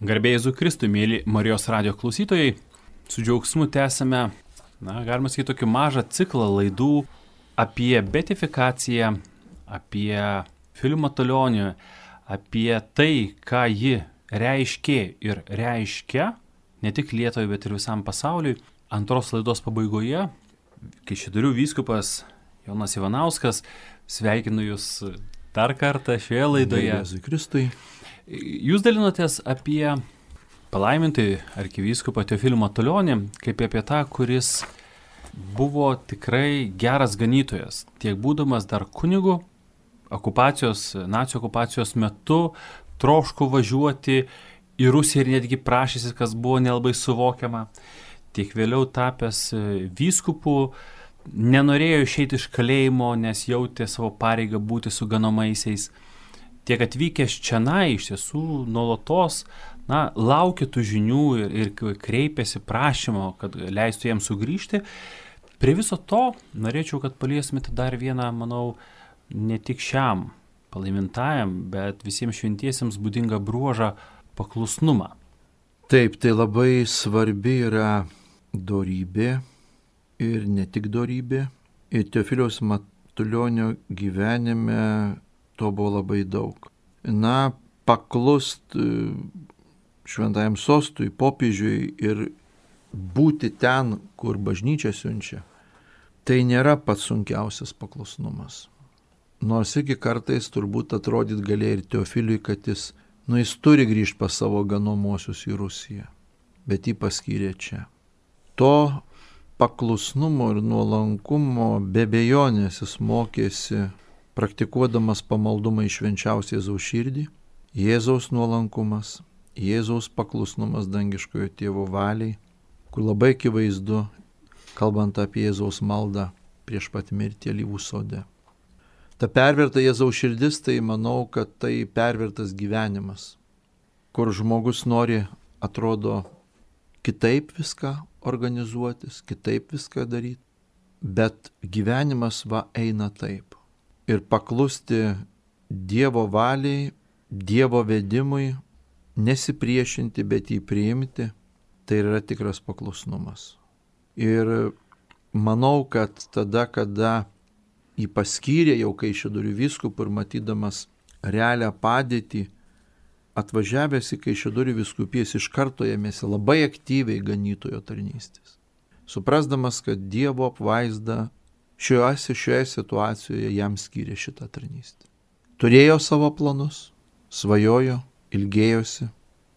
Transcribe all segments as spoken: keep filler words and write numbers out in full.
Garbė Jėzui Kristui, mėly Marijos radijo klausytojai, su džiaugsmu tęsime, na, galima sakyti, tokį mažą ciklą laidų apie beatifikaciją, apie Filių Matulionį, apie tai, ką ji reiškė ir reiškia, ne tik Lietuvai, bet ir visam pasauliui. Antros laidos pabaigoje, Kaišiadorių vyskupas Jonas Ivanauskas, sveikinu Jūs dar kartą šioje laidoje. Garbė Jėzui Kristui. Jūs dalinotės apie palaimintąjį arkivyskupą Teofilių Matulionį, kaip apie tą, kuris buvo tikrai geras ganytojas, tiek būdamas dar kunigu, okupacijos, nacių okupacijos metu, troško važiuoti į Rusiją ir netgi prašysi, kas buvo nelabai suvokiama, tiek vėliau tapęs vyskupu, nenorėjo išeiti iš kalėjimo, nes jautė savo pareigą būti su ganomaisiais. Tiek atvykęs čionai iš tiesų nuolatos, na, laukia tų žinių ir, ir kreipiasi prašymo, kad leistų jiems sugrįžti. Prie viso to norėčiau, kad paliestumėte dar vieną, manau, ne tik šiam palaimintajam, bet visiems šventiesiems būdingą bruožą paklusnumą. Taip, tai labai svarbi yra dorybė ir ne tik dorybė. Ir Teofiliaus Matulionio gyvenime to buvo labai daug. Na, paklust šventajam sostui, popiežiui ir būti ten, kur bažnyčia siunčia, tai nėra pats sunkiausias paklusnumas. Nors iki kartais turbūt atrodyt galėjo ir Teofiliui, kad jis, nu, jis turi grįžti pas savo ganomuosius į Rusiją, bet jį paskyrė čia. To paklusnumo ir nuolankumo be abejonės jis mokėsi praktikuodamas pamaldumą į švenčiausią Jėzaus širdį, Jėzaus nuolankumas, Jėzaus paklusnumas dangiškojo tėvo valiai, kur labai akivaizdu, kalbant apie Jėzaus maldą prieš pat mirtį alyvų sode. Ta perverta Jėzaus širdis, tai manau, kad tai pervertas gyvenimas, kur žmogus nori, atrodo, kitaip viską organizuotis, kitaip viską daryti, bet gyvenimas va eina taip. Ir paklusti Dievo valiai, Dievo vedimui, nesipriešinti, bet jį priimti, tai yra tikras paklusnumas. Ir manau, kad tada, kada jį paskyrė jau Kaišiadorių vyskupų ir matydamas realią padėtį, atvažiavęs į Kaišiadorių vyskupijas iš karto ėmėsi labai aktyviai ganytojo tarnystės. Suprasdamas, kad Dievo apvaizda Šioje, šioje situacijoje jam skyrė šitą tarnystę. Turėjo savo planus, svajojo, ilgėjosi,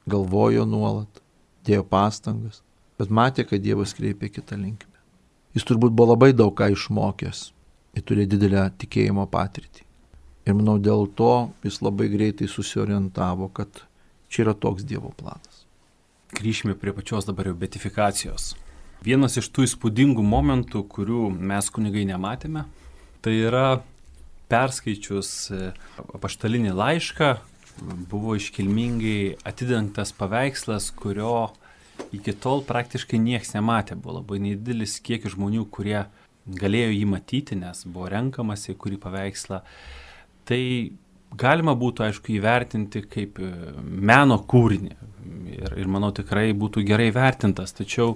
galvojo nuolat, dėjo pastangas, bet matė, kad Dievas kreipė kitą linkmę. Jis turbūt buvo labai daug ką išmokęs ir turėjo didelę tikėjimo patirtį. Ir manau, dėl to jis labai greitai susiorientavo, kad čia yra toks Dievo planas. Grįžime prie pačios dabar jau beatifikacijos. Vienas iš tų įspūdingų momentų, kurių mes kunigai nematėme, tai yra perskaičius apaštalinį laišką, buvo iškilmingai atidengtas paveikslas, kurio iki tol praktiškai nieks nematė. Buvo labai nedidelis kiekis žmonių, kurie galėjo jį matyti, nes buvo renkamasi kurį paveikslą. Tai galima būtų, aišku, įvertinti kaip meno kūrinį ir, ir manau tikrai būtų gerai vertintas, tačiau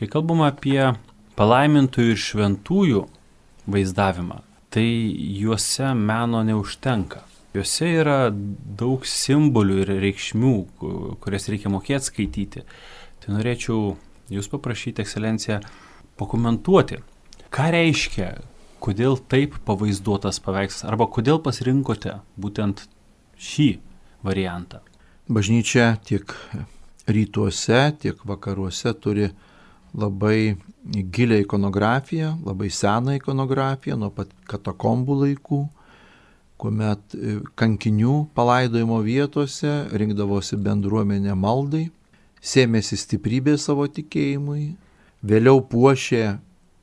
kai kalbama apie palaimintųjų ir šventųjų vaizdavimą, tai juose meno neužtenka. Juose yra daug simbolių ir reikšmių, kurias reikia mokėti skaityti. Tai norėčiau Jūs paprašyti, ekscelencija, pakomentuoti, ką reiškia, kodėl taip pavaizduotas paveikslas, arba kodėl pasirinkote būtent šį variantą. Bažnyčia tiek rytuose, tiek vakaruose turi labai gilią ikonografiją, labai seną ikonografiją nuo pat katakombų laikų, kuomet kankinių palaidojimo vietose rinkdavosi bendruomenė maldai, sėmėsi stiprybė savo tikėjimui, vėliau puošė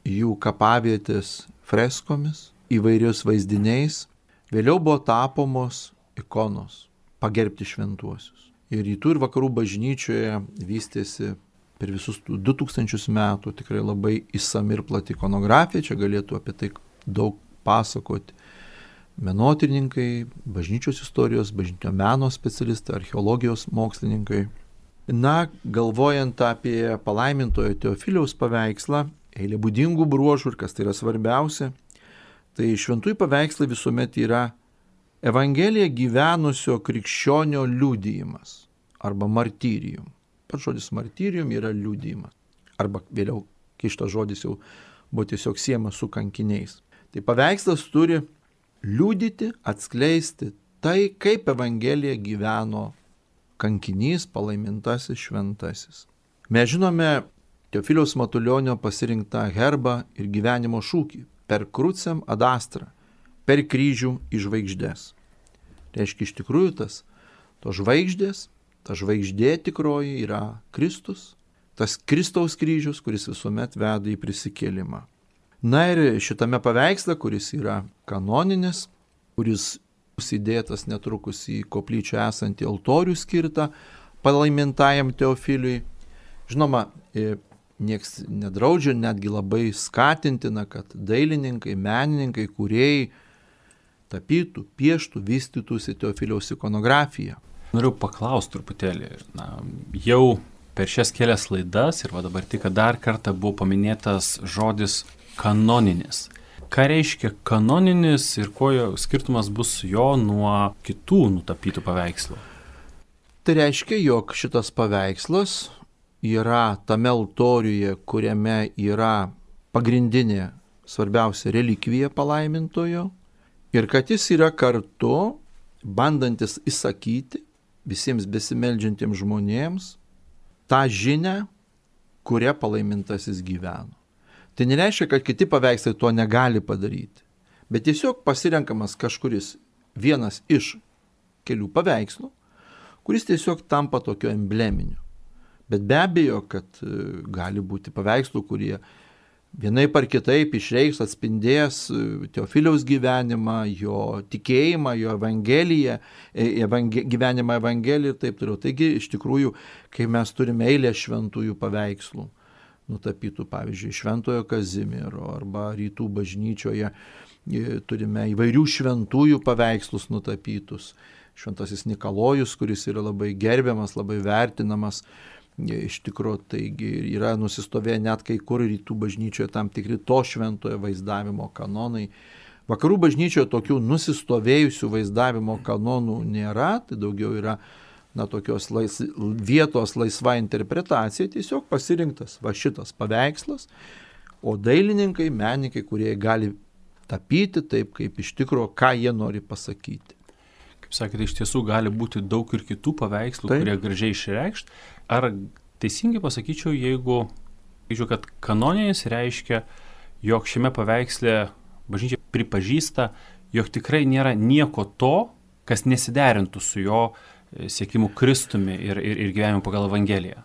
jų kapavietės freskomis, įvairius vaizdiniais, vėliau buvo tapomos ikonos pagerbti šventuosius. Ir rytų ir vakarų bažnyčioje vystėsi per visus du tūkstančius metų tikrai labai išsami ir plati ikonografija, čia galėtų apie tai daug pasakoti menotyrininkai, bažnyčios istorijos, bažnyčio meno specialistai, archeologijos mokslininkai. Na, galvojant apie palaimintojo Teofiliaus paveikslą, eilė būdingų bruožų ir kas tai yra svarbiausia, tai šventųjų paveikslai visuomet yra Evangelija gyvenusio krikščionio liudijimas arba martyrium. Pats žodis martyrium yra liudijimas. Arba vėliau, kai šitas žodis jau buvo tiesiog siejamas su kankiniais. Tai paveikslas turi liudyti, atskleisti tai, kaip Evangelija gyveno kankinys, palaimintasis, šventasis. Mes žinome Teofiliaus Matulionio pasirinktą herbą ir gyvenimo šūkį per krucem ad astra, per kryžių į žvaigždės. Reiškia, iš tikrųjų tas, to žvaigždės, ta žvaigždė tikroji yra Kristus, tas Kristaus kryžius, kuris visuomet veda į prisikėlimą. Na ir šitame paveiksle, kuris yra kanoninis, kuris įdėtas netrukus į koplyčią esantį altorių skirtą palaimintajam Teofiliui. Žinoma, nieks nedraudžia, netgi labai skatintina, kad dailininkai, menininkai, kūrėjai tapytų, pieštų, vystytųsi Teofiliaus ikonografiją. Noriu paklausti truputėlį. Na, jau per šias kelias laidas ir va dabar tik dar kartą buvo paminėtas žodis kanoninis. Ką reiškia kanoninis ir kuo skirtumas bus jo nuo kitų nutapytų paveikslų? Tai reiškia, jog šitas paveikslas yra tame altoriuje, kuriame yra pagrindinė svarbiausia relikvija palaimintojo ir kad jis yra kartu bandantis įsakyti visiems besimeldžiantiems žmonėms tą žinią, kuria palaimintasis gyveno. Tai nereiškia, kad kiti paveikslai to negali padaryti, bet tiesiog pasirenkamas kažkuris vienas iš kelių paveikslų, kuris tiesiog tampa tokio embleminiu. Bet be abejo, kad gali būti paveikslų, kurie vienaip ar kitaip išreikš, atspindės Teofiliaus gyvenimą, jo tikėjimą, jo evangeliją, evangel, gyvenimą evangeliją ir taip toliau. Taigi, iš tikrųjų, kai mes turime eilę šventųjų paveikslų, nutapytų, pavyzdžiui, Šventojo Kazimiero arba Rytų bažnyčioje, turime įvairių šventųjų paveikslus nutapytus. Šventasis Nikolojus, kuris yra labai gerbiamas, labai vertinamas, iš tikrųjų, taigi yra nusistovėję net kai kur Rytų bažnyčioje tam tikri to šventojo vaizdavimo kanonai. Vakarų bažnyčioje tokių nusistovėjusių vaizdavimo kanonų nėra, tai daugiau yra na, tokios lais, vietos laisva interpretacija, tiesiog pasirinktas va šitas paveikslas, o dailininkai, menininkai, kurie gali tapyti taip, kaip iš tikrųjų, ką jie nori pasakyti. Kaip sakėte, iš tiesų gali būti daug ir kitų paveikslų, taip, kurie gražiai išreikšt. Ar teisingai pasakyčiau, jeigu, jeigu kad kanoninis reiškia, jog šiame paveiksle bažnyčia pripažįsta, jog tikrai nėra nieko to, kas nesiderintų su jo siekimu Kristumi ir, ir, ir gyvenimu pagal Evangeliją?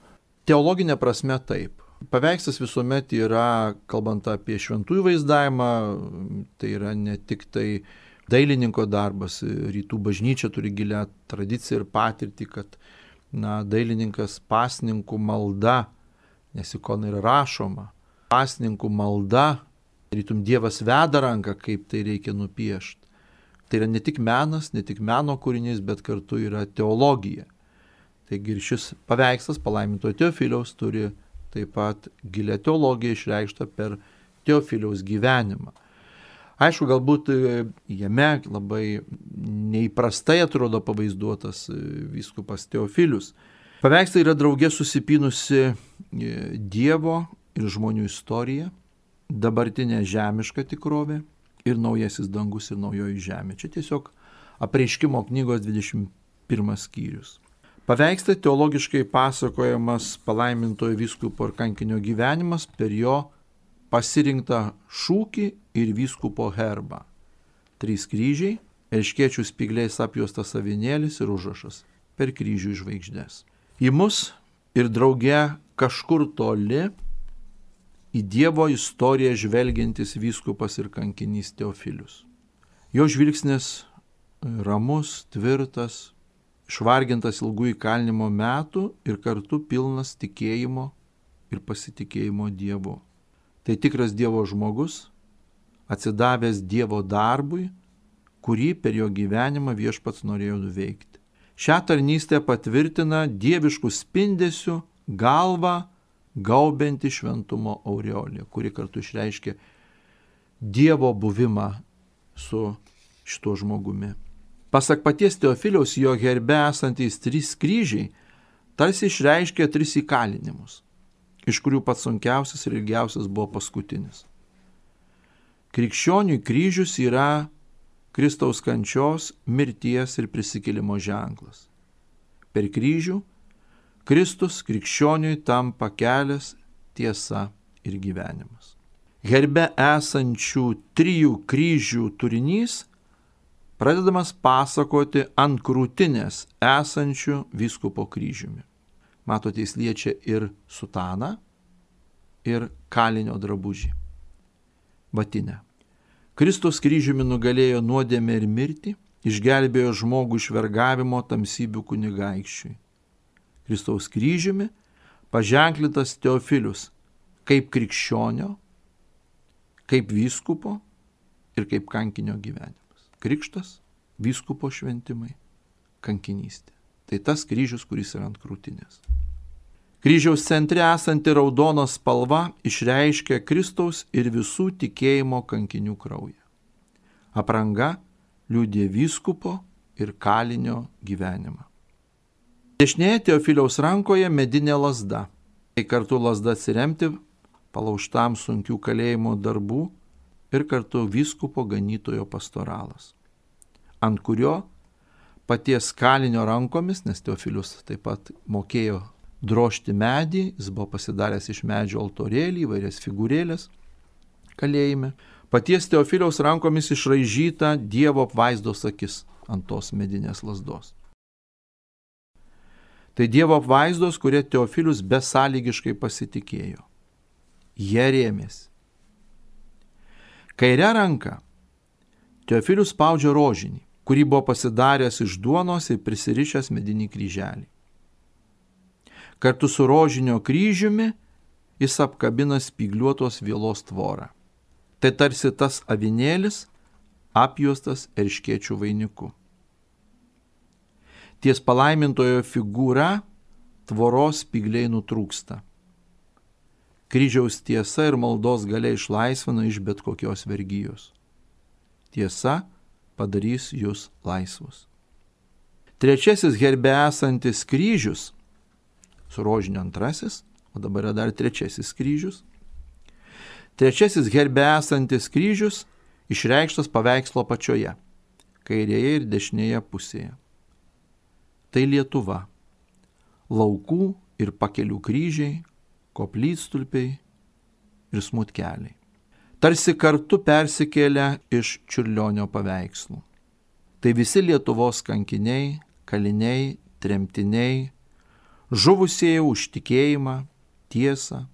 Teologinė prasme taip. Paveikslas visuomet yra, kalbant apie šventųjų vaizdavimą, tai yra ne tik tai dailininko darbas. Rytų bažnyčia turi gilią tradiciją ir patirtį, kad na, dailininkas pasninkų malda, nes ikona yra rašoma, pasninkų malda, rytum Dievas veda ranką, kaip tai reikia nupiešti. Tai yra ne tik menas, ne tik meno kūrinys, bet kartu yra teologija. Taigi ir šis paveikslas palaimintojo Teofiliaus turi taip pat gilią teologiją išreikštą per Teofiliaus gyvenimą. Aišku, galbūt jame labai neįprastai atrodo pavaizduotas vyskupas Teofilius. Paveikslai yra drauge susipynusi Dievo ir žmonių istorija, dabartinė žemiška tikrovė ir naujasis dangus ir naujoji žemė. Čia tiesiog apreiškimo knygos dvidešimt pirmas skyrius. Paveiksle teologiškai pasakojamas palaimintojo vyskupo ir kankinio gyvenimas per jo pasirinktą šūkį ir vyskupo herbą. Trys kryžiai, erškėčių spygliais apjuostas avinėlis ir užrašas per kryžių žvaigždės. Į mus ir drauge kažkur toli į Dievo istoriją žvelgiantis vyskupas ir kankinys Teofilius. Jo žvilgsnis ramus, tvirtas, išvargintas ilgų įkalinimo metų ir kartu pilnas tikėjimo ir pasitikėjimo Dievu. Tai tikras Dievo žmogus, atsidavęs Dievo darbui, kurį per jo gyvenimą viešpats norėjo nuveikti. Šią tarnystę patvirtina dieviškų spindesių galvą gaubianti šventumo aureolė, kuri kartu išreiškia Dievo buvimą su šituo žmogumi. Pasak paties Teofiliaus, jo herbe esantys trys kryžiai tarsi išreiškia tris įkalinimus, iš kurių pats sunkiausias ir ilgiausias buvo paskutinis. Krikščioniui kryžius yra Kristaus kančios, mirties ir prisikėlimo ženklas. Per kryžių Kristus krikščioniui tampa kelias, tiesa ir gyvenimas. Herbe esančių trijų kryžių turinys pradedamas pasakoti ant krūtinės esančių vyskupo kryžiumi. Matote, jis liečia ir sutaną, ir kalinio drabužį, batinę. Kristus kryžiumi nugalėjo nuodėmę ir mirtį, išgelbėjo žmogų iš vergavimo tamsybių kunigaikščiui. Kristaus kryžiumi paženklintas Teofilius kaip krikščionio, kaip vyskupo ir kaip kankinio gyvenimas. Krikštas, vyskupo šventimai, kankinystė. Tai tas kryžius, kuris yra ant krūtinės. Kryžiaus centre esanti raudona spalva išreiškia Kristaus ir visų tikėjimo kankinių kraują. Apranga liudija vyskupo ir kalinio gyvenimą. Dešinėje Teofiliaus rankoje medinė lazda. Tai kartu lazda atsiremti palaužtam sunkių kalėjimo darbų ir kartu vyskupo ganytojo pastoralas, ant kurio paties kalinio rankomis, nes Teofilius taip pat mokėjo drožti medį, jis buvo pasidaręs iš medžio altorėlį, įvairias figūrėlės kalėjime, paties Teofiliaus rankomis išraižyta Dievo apvaizdos akis ant tos medinės lazdos. Tai Dievo apvaizdos, kurie Teofilius besąlygiškai pasitikėjo. Jie rėmėsi. Kairę ranką Teofilius spaudžia rožinį, kurį buvo pasidaręs iš duonos ir prisirišęs medinį kryželį. Kartu su rožinio kryžiumi jis apkabina spygliuotos vielos tvorą. Tai tarsi tas avinėlis apjuostas erškėčių vainiku. Ties palaimintojo figūra tvoros spygliai nutrūksta. Kryžiaus tiesa ir maldos galia išlaisvina iš bet kokios vergijos. Tiesa padarys jūs laisvus. Trečiasis herbe esantis kryžius, su rožiniu antrasis, o dabar yra dar trečiasis kryžius. Trečiasis herbe esantis kryžius išreikštas paveikslo pačioje, kairėje ir dešinėje pusėje. Tai Lietuva, laukų ir pakelių kryžiai, koplytstulpiai ir smutkeliai. Tarsi kartu persikėlę iš Čiurlionio paveikslų. Tai visi Lietuvos kankiniai, kaliniai, tremtiniai, žuvusieji už tikėjimą, tiesą,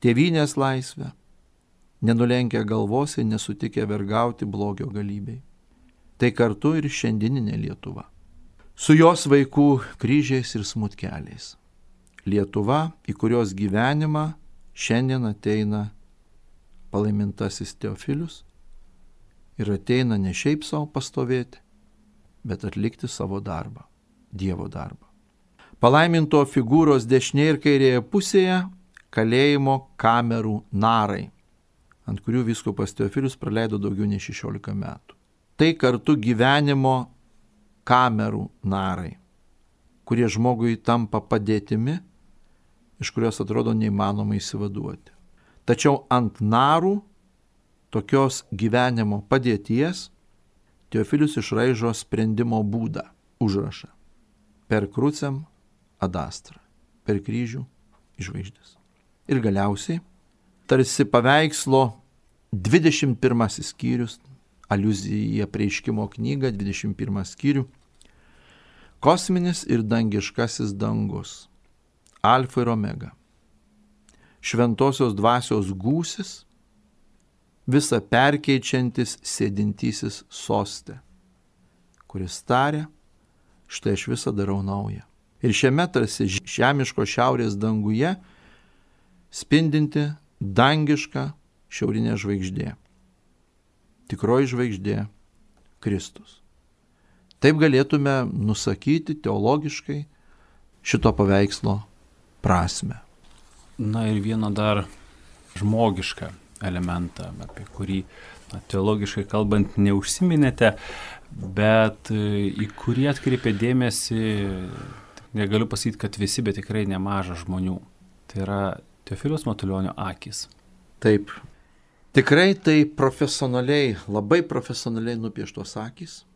tėvynės laisvę, nenulenkę galvos ir nesutikę vergauti blogio galybei. Tai kartu ir šiandieninė Lietuva. Su jos vaikų kryžiais ir smutkeliais. Lietuva, į kurios gyvenimą šiandien ateina palaimintasis Teofilius ir ateina ne šiaip savo pastovėti, bet atlikti savo darbą, Dievo darbą. Palaiminto figūros dešinėje ir kairėje pusėje kalėjimo kamerų narai, ant kurių vyskupas Teofilius praleido daugiau nei šešiolika metų. Tai kartu gyvenimo kamerų narai, kurie žmogui tampa padėtimi, iš kurios atrodo neįmanoma įsivaduoti. Tačiau ant narų tokios gyvenimo padėties Teofilius išraižo sprendimo būdą, užrašą. Per krucem ad astra, per kryžių žvaigždės. Ir galiausiai, tarsi paveikslo dvidešimt pirmasis skyrius, aliuzija į apreiškimo knygą, dvidešimt pirmas skyrių, kosminis ir dangiškasis dangus, alfa ir omega, šventosios dvasios gūsis, visa perkeičiantis sėdintysis soste, kuris taria, štai aš visą darau naują. Ir šiame tarsi žemiško šiaurės danguje spindinti dangiška šiaurinė žvaigždė. Tikroji žvaigždė Kristus. Taip galėtume nusakyti teologiškai šito paveikslo prasme. Na ir vieną dar žmogišką elementą, apie kurį na, teologiškai kalbant neužsiminėte, bet į kurį atkreipė dėmesį, negaliu pasakyti, kad visi, bet tikrai nemaža žmonių. Tai yra Teofiliaus Matulionio akys. Taip, tikrai tai profesionaliai, labai profesionaliai nupieštos akys,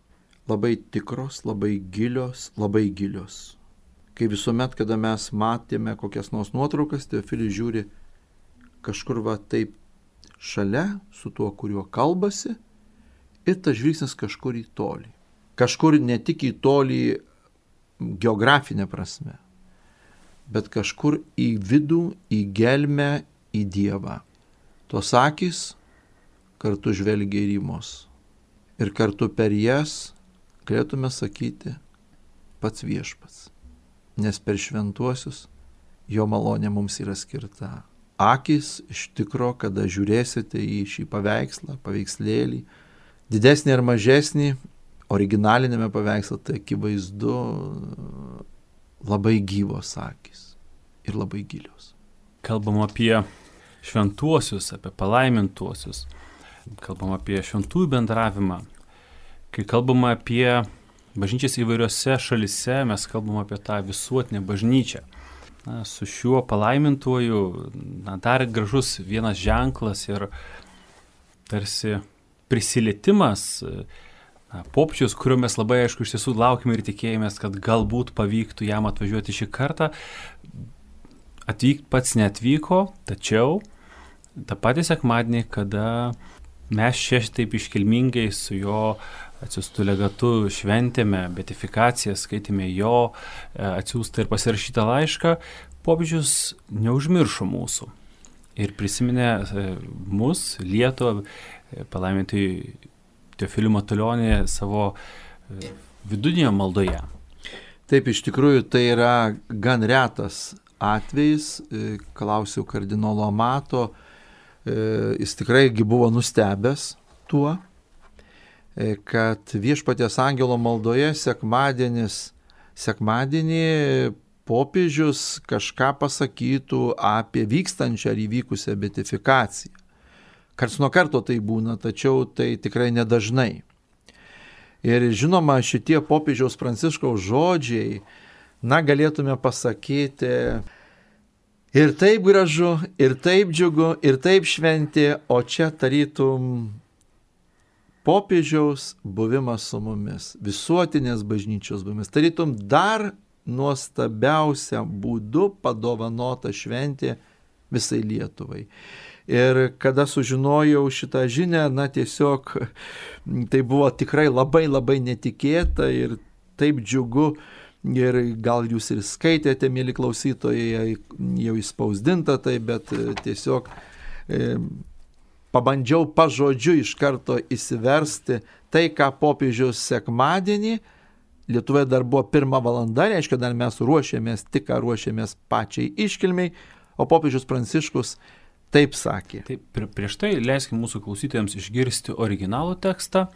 labai tikros, labai gilios, labai gilios. Kai visuomet, kada mes matėme kokias nors nuotraukas, Teofilis žiūri kažkur va taip šalia su tuo, kuriuo kalbasi, ir tas žvilgsnis kažkur į tolį. Kažkur ne tik į tolį geografinę prasme, bet kažkur į vidų, į gelmę, į Dievą. Tos akys kartu žvelgia ir į mus. Ir kartu per jas galėtume sakyti pats viešpats. Nes per šventuosius jo malonė mums yra skirta. Akys iš tikro, kada žiūrėsite į šį paveikslą, paveikslėlį, didesnį ar mažesnį, originalinėme paveiksle, tai akivaizdu labai gyvos akys ir labai gilios. Kalbam apie šventuosius, apie palaimintuosius, kalbam apie šventųjų bendravimą. Kai kalbam apie bažnyčias įvairiose šalise, mes kalbam apie tą visuotinę bažnyčią. Na, su šiuo palaimintuoju na, dar gražus vienas ženklas ir tarsi prisilietimas, na, popiežius, kurio mes labai aišku iš tiesų laukime ir tikėjomės, kad galbūt pavyktų jam atvažiuoti šį kartą. Atvykt pats neatvyko, tačiau tą patį sekmadienį, kada mes čia taip iškilmingai su jo atsiųstų legatu šventėme beatifikaciją, skaitėme jo atsiųstą ir pasirašytą laišką, popiežius neužmiršo mūsų ir prisiminė mus, Lietuvą, palaimintąjį Teofilių Matulionį savo vidinėje maldoje. Taip, iš tikrųjų tai yra gan retas atvejis, klausiau kardinolo Amato, jis tikrai buvo nustebęs tuo, kad viešpaties angelo maldoje sekmadienis, sekmadienį popiežius kažką pasakytų apie vykstančią ar įvykusią beatifikaciją. Karts nuo karto tai būna, tačiau tai tikrai nedažnai. Ir žinoma, šitie popiežiaus Pranciškaus žodžiai, na, galėtume pasakyti, ir taip gražu, ir taip džiugu, ir taip šventi, o čia tarytum popiežiaus buvimas su mumis, visuotinės bažnyčios buvimas, tarytum dar nuostabiausia būdu padovanota šventė visai Lietuvai. Ir kada sužinojau šitą žinią, na tiesiog tai buvo tikrai labai labai netikėta ir taip džiugu. Ir gal jūs ir skaitėte, mėly klausytojai, jau įspausdinta tai, bet tiesiog e, pabandžiau pažodžiu iš karto įsiversti tai, ką popiežius sekmadienį, Lietuvoje dar buvo pirma valanda, reiškia, dar mes ruošėmės, tik ką ruošėmės pačiai iškilmiai, o popiežius Pranciškus taip sakė. Taip, prieš tai leiskime mūsų klausytojams išgirsti originalų tekstą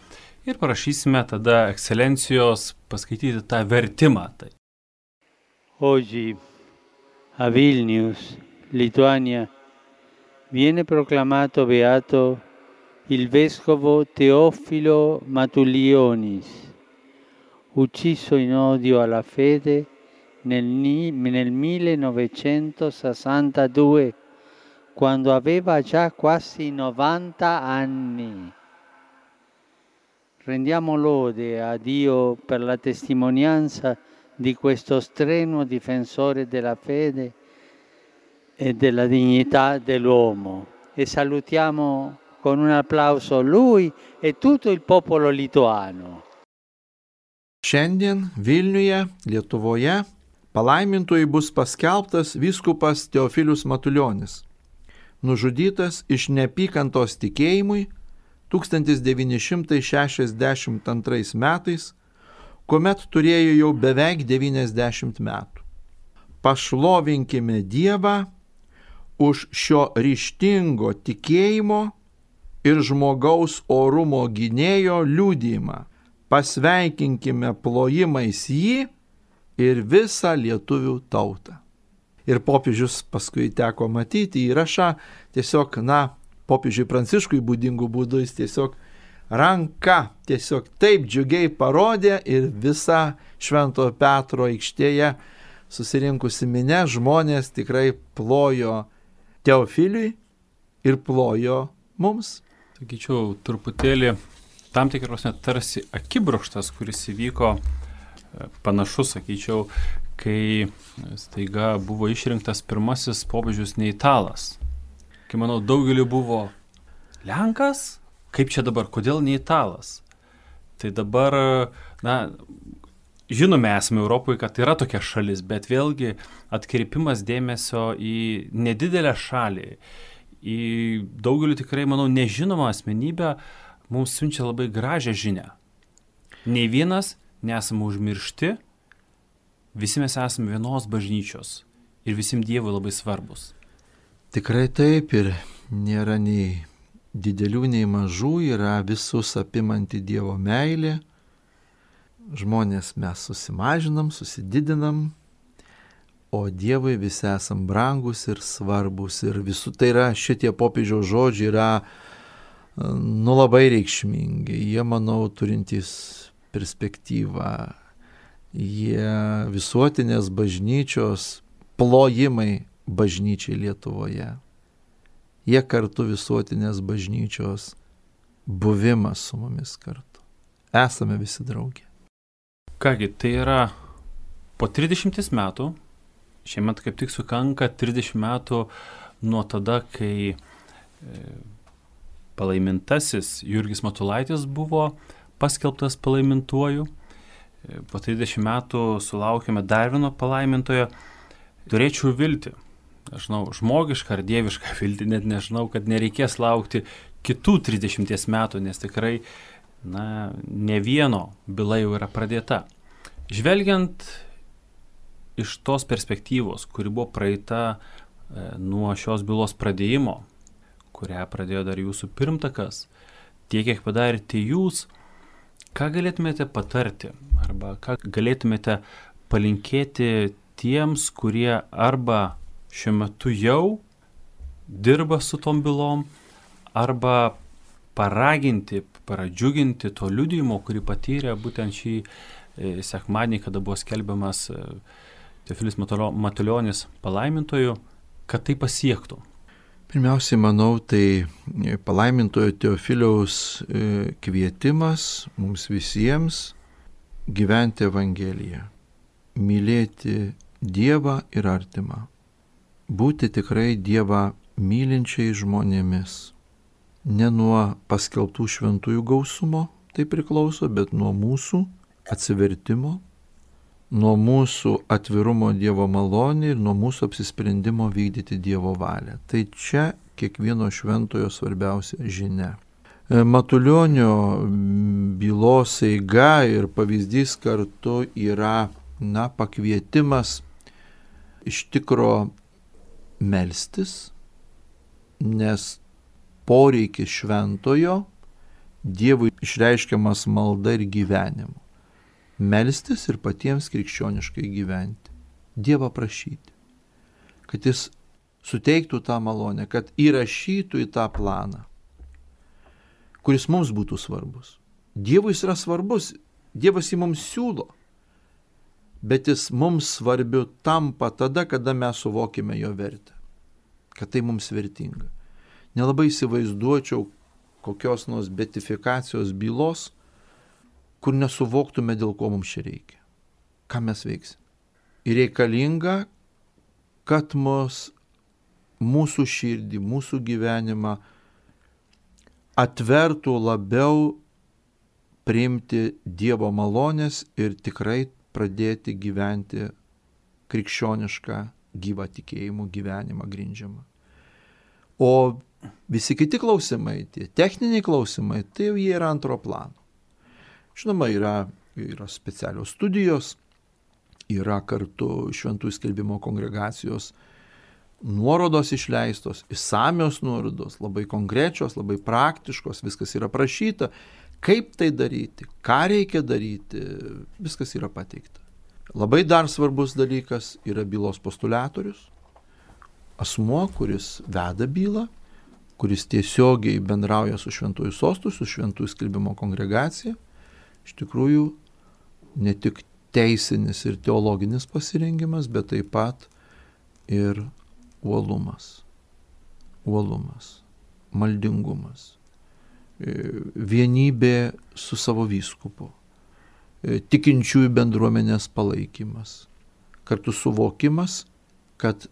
ir parašysime tada ekscelencijos paskaityti tą vertimą. Tai. Oggi a Vilnius, Lituania, viene proclamato beato il vescovo Teofilo Matulionis, ucciso in odio alla fede nel, nel millenovecentosessantadue, quando aveva già quasi novanta anni. Rendiamo lode a Dio per la testimonianza di questo strenuo difensore della fede e della dignità dell'uomo e salutiamo con un applauso lui e tutto il popolo lituano. Šiandien Vilniuje, Lietuvoje, palaimintojui bus paskelbtas vyskupas Teofilius Matulionis, nužudytas iš neapykantos tikėjimui tūkstantis devyni šimtai šešiasdešimt antrais metais, kuomet turėjo jau beveik devyniasdešimt metų. Pašlovinkime Dievą už šio ryžtingo tikėjimo ir žmogaus orumo gynėjo liudijimą. pasveikinkime plojimais jį ir visą lietuvių tautą. Ir popiežius paskui teko matyti įrašą, tiesiog, na, popiežiui Pranciškui būdingų būdų jis tiesiog ranka tiesiog taip džiugiai parodė ir visa Švento Petro aikštėje susirinkusi minia žmonės tikrai plojo Teofiliui ir plojo mums. Sakyčiau, truputėlį tam tikros net tarsi akibrokštas, kuris įvyko panašus, sakyčiau, kai staiga buvo išrinktas pirmasis popiežius ne italas. Kai manau, daugeliu buvo Lenkas, kaip čia dabar, kodėl ne italas? Tai dabar, na, žinome esame Europoje, kad yra tokia šalis, bet vėlgi atkreipimas dėmesio į nedidelę šalį, į daugelį tikrai, manau, nežinomą asmenybę, mums siunčia labai gražią žinią. Nei vienas nesame užmiršti, visi mes esame vienos bažnyčios ir visim Dievui labai svarbus. Tikrai taip, ir nėra nei didelių, nei mažų, yra visus apimanti Dievo meilė. Žmonės mes susimažinam, susididinam, o Dievui visi esam brangus ir svarbus. Ir visų, tai yra, šitie popiežiaus žodžiai yra, nu, labai reikšmingi. Jie, manau, turintys perspektyvą. Jie visuotinės bažnyčios plojimai bažnyčiai Lietuvoje. Jie kartu visuotinės bažnyčios buvimas su mumis kartu. Esame visi drauge. Kągi, tai yra po trisdešimt metų, šiemet kaip tik sukanka trisdešimt metų nuo tada, kai palaimintasis Jurgis Matulaitis buvo paskelbtas palaimintuoju. Po trisdešimt metų sulaukėme dar vieno palaimintojo. Turėčiau viltį, aš žinau, žmogišką ar dievišką viltį, net nežinau, kad nereikės laukti kitų trisdešimt metų, nes tikrai, na, ne vieno byla jau yra pradėta. Žvelgiant iš tos perspektyvos, kuri buvo praeita e, nuo šios bylos pradėjimo, kurią pradėjo dar jūsų pirmtakas, tiek, kiek padarėte jūs, ką galėtumėte patarti arba ką galėtumėte palinkėti tiems, kurie arba šiuo metu jau dirba su tom bylom, arba paraginti, pradžiuginti to liudijimo, kurį patyrė būtent šį e, sekmadienį, kada buvo skelbiamas e, Teofilis Matulionis palaimintoju, kad tai pasiektų. Pirmiausiai, manau, tai palaimintojo Teofiliaus e, kvietimas mums visiems gyventi Evangeliją, mylėti Dievą ir artimą, būti tikrai Dievą mylinčiai žmonėmis. Ne nuo paskelbtų šventųjų gausumo tai priklauso, bet nuo mūsų atsivertimo, nuo mūsų atvirumo Dievo malonė ir nuo mūsų apsisprendimo vykdyti Dievo valią. Tai čia kiekvieno šventojo svarbiausia žinia. Matulionio bylos eiga ir pavyzdys kartu yra, na, pakvietimas iš tikro melstis, nes poreikis šventojo Dievui išreiškiamas malda ir gyvenimu. Melstis ir patiems krikščioniškai gyventi. Dievą prašyti, kad jis suteiktų tą malonę, kad įrašytų į tą planą, kuris mums būtų svarbus. Dievui jis yra svarbus, Dievas jį mums siūlo, bet jis mums svarbiu tampa tada, kada mes suvokime jo vertę, kad tai mums vertinga. Nelabai įsivaizduočiau kokios nors beatifikacijos bylos, kur nesuvoktume, dėl ko mums čia reikia. Ką mes veiksim. Ir reikalinga, kad mus, mūsų širdį, mūsų gyvenimą atvertų labiau priimti Dievo malonės ir tikrai pradėti gyventi krikščionišką gyvą tikėjimų gyvenimą grindžiamą. O visi kiti klausimai, tie techniniai klausimai, tai jau jie yra antro plano. Žinoma, yra, yra specialios studijos, yra kartu šventųjų skelbimo kongregacijos nuorodos išleistos, išsamios nuorodos, labai konkrečios, labai praktiškos, viskas yra prašyta, Kaip tai daryti, ką reikia daryti, viskas yra pateikta. Labai dar svarbus dalykas yra bylos postuliatorius, asmuo, kuris veda bylą, kuris tiesiogiai bendrauja su šventųjų sostu, su šventųjų skelbimo kongregacija. Iš tikrųjų, ne tik teisinis ir teologinis pasirengimas, bet taip pat ir uolumas, uolumas, maldingumas, vienybė su savo vyskupu, tikinčiųjų bendruomenės palaikymas, kartu suvokimas, kad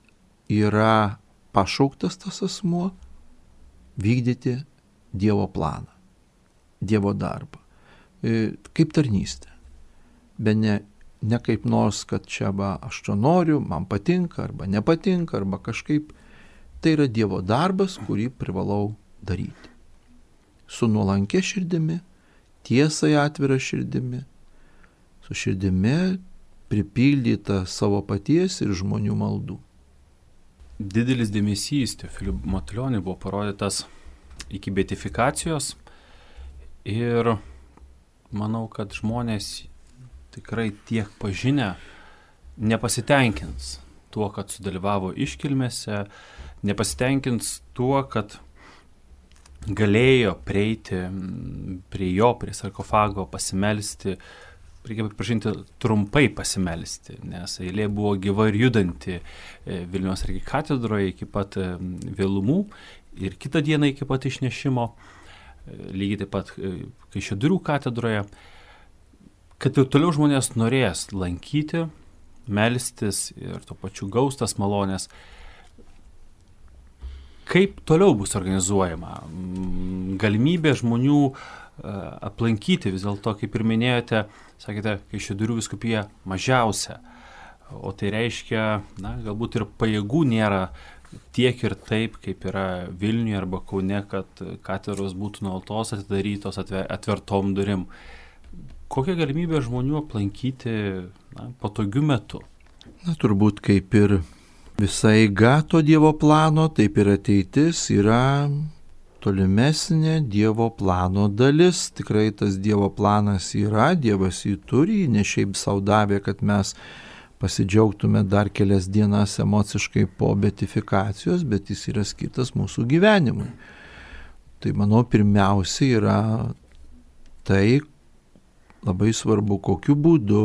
yra pašauktas tas asmuo vykdyti Dievo planą, Dievo darbą, kaip tarnystė, bet ne, ne kaip nors, kad čia va, aš čia noriu, man patinka arba nepatinka, arba kažkaip. Tai yra Dievo darbas, kurį privalau daryti. Su nuolankia širdimi, tiesai atvira širdimi, su širdimi pripildyta savo paties ir žmonių maldų. Didelis dėmesys Teofiliui Matulioniui buvo parodytas iki beatifikacijos ir manau, kad žmonės tikrai tiek pažinę nepasitenkins tuo, kad sudalyvavo iškilmėse, nepasitenkins tuo, kad galėjo prieiti prie jo, prie sarkofago, pasimelsti, reikia pripažinti, trumpai pasimelsti, nes eilė buvo gyva ir judanti Vilniaus arkikatedroje iki pat vėlumų ir kitą dieną iki pat išnešimo, lygiai taip pat Kaišiadorių katedroje, kad ir toliau žmonės norės lankyti, melstis ir tuo pačiu gaustas malonės. Kaip toliau bus organizuojama? Galimybė žmonių aplankyti, vis dėlto, kaip ir minėjote, sakėte, Kaišiadorių vyskupija mažiausia, o tai reiškia, na, galbūt ir pajėgų nėra tiek ir taip, kaip yra Vilniuje arba Kaune, kad katedros būtų nuolatos atidarytos atvertom durim. Kokia galimybė žmonių aplankyti, na, patogiu metu? Na, turbūt kaip ir visa eiga to Dievo plano, taip ir ateitis yra tolimesnė Dievo plano dalis. Tikrai tas Dievo planas yra, Dievas jį turi, ne šiaip sau davė, kad mes pasidžiaugtume dar kelias dienas emociškai po beatifikacijos, bet jis yra skirtas mūsų gyvenimui. Tai manau, pirmiausia yra tai, labai svarbu, kokiu būdu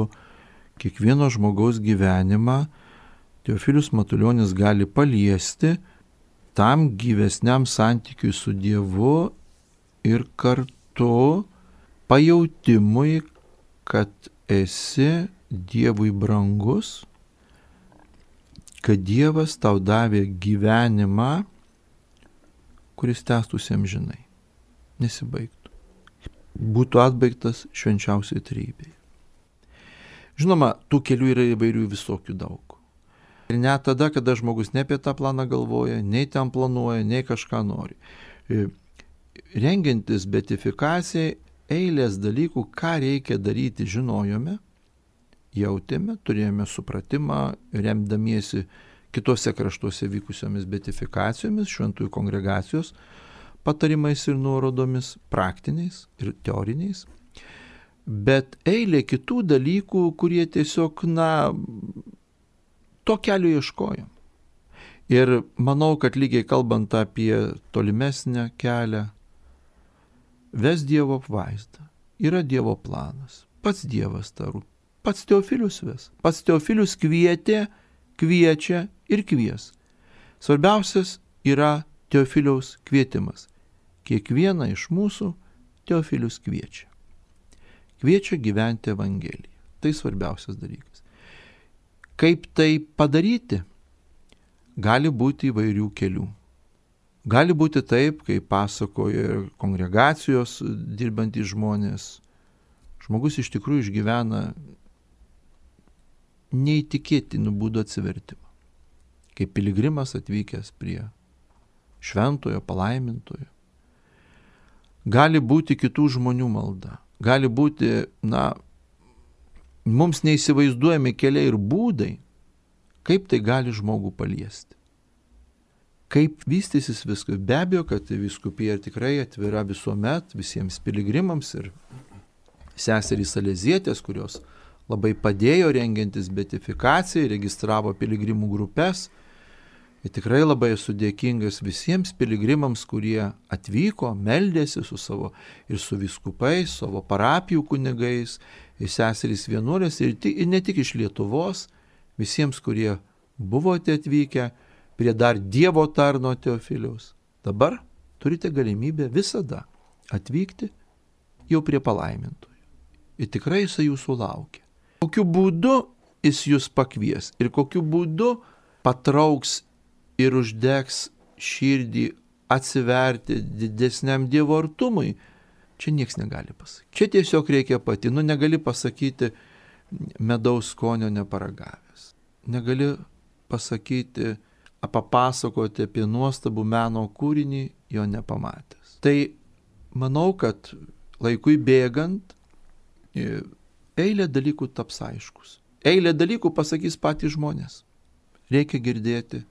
kiekvieno žmogaus gyvenimą Teofilius Matulionis gali paliesti tam gyvesniam santykiui su Dievu ir kartu pajautimui, kad esi Dievui brangus, kad Dievas tau davė gyvenimą, kuris tęstųsi amžinai, nesibaigtų, būtų atbaigtas švenčiausiai trejybei. Žinoma, tų kelių yra įvairių visokių daug. Ir net tada, kada žmogus ne apie tą planą galvoja, nei ten planuoja, nei kažką nori. Rengiantis beatifikacijai, eilės dalykų, ką reikia daryti, žinojome, jautėme, turėjome supratimą, remdamiesi kitose kraštuose vykusiomis beatifikacijomis, šventųjų kongregacijos patarimais ir nuorodomis, praktiniais ir teoriniais. Bet eilė kitų dalykų, kurie tiesiog, na, to kelio ieškojom. Ir manau, kad lygiai kalbant apie tolimesnę kelią, ves Dievo apvaizdą, yra Dievo planas, pats Dievas taru, pats Teofilius ves, pats Teofilius kvietė, kviečia ir kvies. Svarbiausias yra Teofiliaus kvietimas. Kiekvieną iš mūsų Teofilius kviečia. Kviečia gyventi Evangeliją. Tai svarbiausias dalykas. Kaip tai padaryti? Gali būti įvairių kelių. Gali būti taip, kaip pasakoja kongregacijos dirbantys žmonės. Žmogus iš tikrųjų išgyvena neįtikėtinų būdų atsivertimą. Kaip piligrimas atvykęs prie šventojo, palaimintojo. Gali būti kitų žmonių malda. Gali būti, na, mums neįsivaizduojami keliai ir būdai, kaip tai gali žmogų paliesti. Kaip vystysis viskas? Be abejo, kad vyskupija tikrai atvira visuomet visiems piligrimams ir seserys Salezietės, kurios labai padėjo rengiantis beatifikacijai, registravo piligrimų grupės. Ir tikrai labai esu dėkingas visiems piligrimams, kurie atvyko, meldėsi su savo ir su vyskupais, savo parapijų kunigais, ir seserys vienuolės, ir, ir ne tik iš Lietuvos, visiems, kurie buvote atvykę prie dar Dievo tarno Teofiliaus. Dabar turite galimybę visada atvykti jau prie palaimintojų. Ir tikrai jisai jūsų laukia. Kokiu būdu jis jūs pakvies ir kokiu būdu patrauks ir uždegs širdį atsiverti didesniam Dievo artumui, čia nieks negali pasakyti. Čia tiesiog reikia pati, nu negali pasakyti medaus skonio neparagavęs. Negali pasakyti, papasakoti apie nuostabų meno kūrinį, jo nepamatęs. Tai manau, kad laikui bėgant eilė dalykų taps aiškus. Eilė dalykų pasakys patys žmonės. Reikia girdėti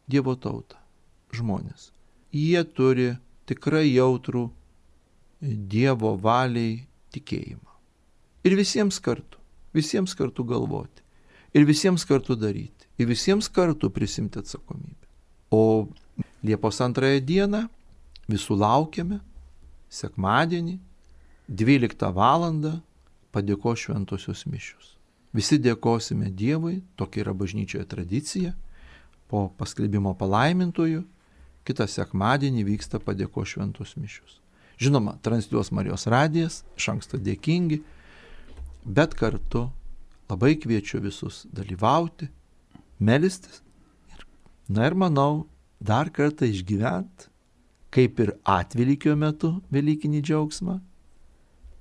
Dievo tautą, žmonės. Jie turi tikrai jautrų Dievo valiai tikėjimą. Ir visiems kartu, visiems kartu galvoti. Ir visiems kartu daryti. Ir visiems kartu prisimti atsakomybę. O Liepos antrąją dieną visų laukiame, sekmadienį, dvyliktą valandą, padėkos šventosios mišios. Visi dėkosime Dievui, tokia yra bažnyčioje tradicija. Po paskelbimo palaimintojų, kitą sekmadienį vyksta padėkos šventos mišios. Žinoma, transliuos Marijos radijas, iš anksto dėkingi, bet kartu labai kviečiu visus dalyvauti, melstis. Na ir manau, dar kartą išgyvent, kaip ir atvelykio metu velykinį džiaugsmą,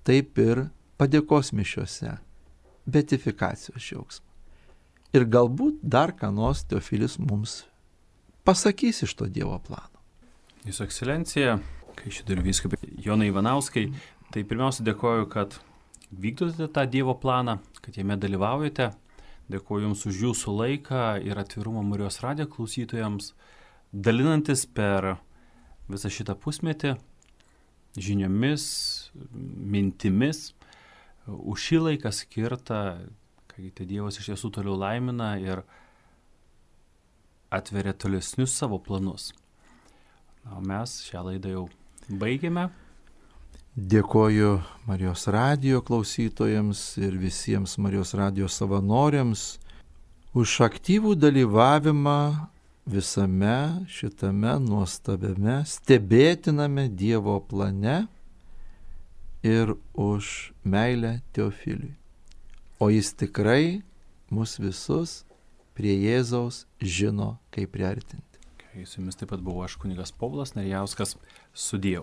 taip ir padėkos mišiose, beatifikacijos džiaugsmą. Ir galbūt dar ką nors Teofilis mums pasakys iš to Dievo plano. Jūsų ekscelencija, kai šituriu vyskupai Jonai Ivanauskai, tai pirmiausia dėkoju, kad vykdote tą Dievo planą, kad jame dalyvaujate. Dėkoju Jums už Jūsų laiką ir atvirumą Marijos radijo klausytojams, dalinantis per visą šitą pusmetį žiniomis, mintimis, už šį laiką skirtą, kai tai Dievas iš tiesų toliau laimina ir atveria tolesnius savo planus. Na, o mes šią laidą jau baigėme. Dėkoju Marijos radijo klausytojams ir visiems Marijos radijo savanoriams už aktyvų dalyvavimą visame šitame nuostabiame, stebėtiname Dievo plane ir už meilę Teofiliui. O jis tikrai mus visus prie Jėzaus žino, kaip priartinti. Su jumis taip pat buvo aš kunigas Povilas Narijauskas, sudie.